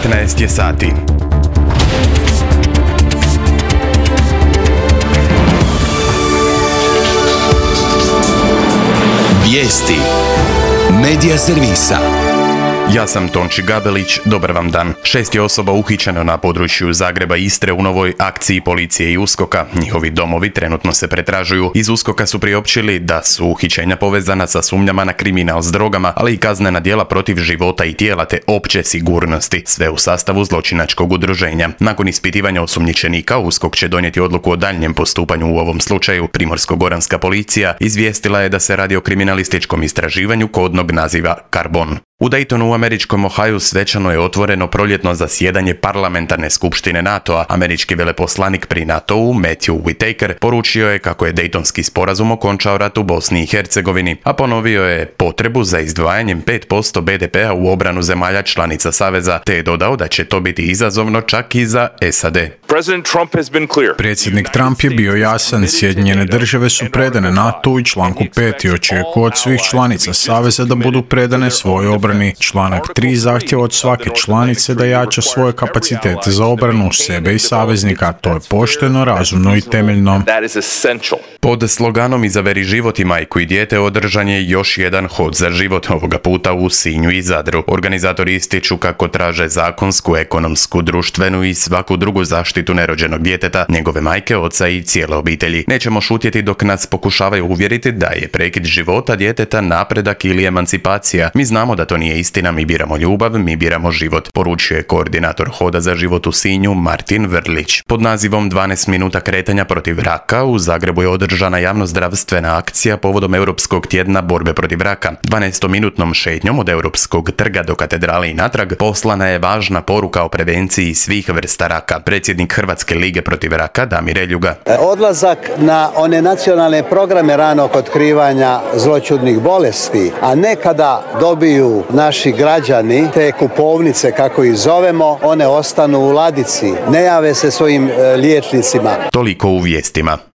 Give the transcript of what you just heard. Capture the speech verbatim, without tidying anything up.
devetnaest je sati. Vijesti Medija servisa. Ja sam Tonči Gabelić, dobar vam dan. Šest je osoba uhićeno na području Zagreba i Istre u novoj akciji policije i uskoka. Njihovi domovi trenutno se pretražuju. Iz uskoka su priopćili da su uhićenja povezana sa sumnjama na kriminal s drogama, ali i kaznena djela protiv života i tijela te opće sigurnosti. Sve u sastavu zločinačkog udruženja. Nakon ispitivanja osumnjičenika, uskok će donijeti odluku o daljnjem postupanju u ovom slučaju. Primorsko-goranska policija izvijestila je da se radi o kriminalističkom istraživanju kodnog naziva Karbon. U Daytonu u američkom Ohaju svečano je otvoreno proljetno zasjedanje parlamentarne skupštine NATO-a. Američki veleposlanik pri NATO-u Matthew Whitaker poručio je kako je Daytonski sporazum okončao rat u Bosni i Hercegovini, a ponovio je potrebu za izdvajanjem pet posto be de pea u obranu zemalja članica Saveza, te je dodao da će to biti izazovno čak i za es a de. Predsjednik Trump je bio jasan, Sjedinjene države su predane NATO-u i članku pet i očekuje od svih članica Saveza da budu predane svojoj obrani. Članak tri zahtjeva od svake članice da jača svoje kapacitete za obranu sebe i saveznika. To je pošteno, razumno i temeljno. Pod sloganom Izaberi život i majku i dijete održan je još jedan hod za život, ovoga puta u Sinju i Zadru. Organizatori ističu kako traže zakonsku, ekonomsku, društvenu i svaku drugu zaštitu nerođenog djeteta, njegove majke, oca i cijele obitelji. Nećemo šutjeti dok nas pokušavaju uvjeriti da je prekid života djeteta napredak ili emancipacija. Mi znamo da to nije istina, mi biramo ljubav, mi biramo život, poručuje koordinator Hoda za život u Sinju Martin Vrlić. Pod nazivom dvanaest minuta kretanja protiv raka u Zagrebu je održana javnozdravstvena akcija povodom Europskog tjedna borbe protiv raka. dvanaestominutnom šetnjom od Europskog trga do katedrale i natrag poslana je važna poruka o prevenciji svih vrsta raka. Predsjednik Hrvatske lige protiv raka Damir Eljuga. Odlazak na one nacionalne programe ranog otkrivanja zloćudnih bolesti, a ne kada dobiju naši građani te kupovnice, kako ih zovemo, one ostanu u ladici, ne jave se svojim e, liječnicima. Toliko u vijestima.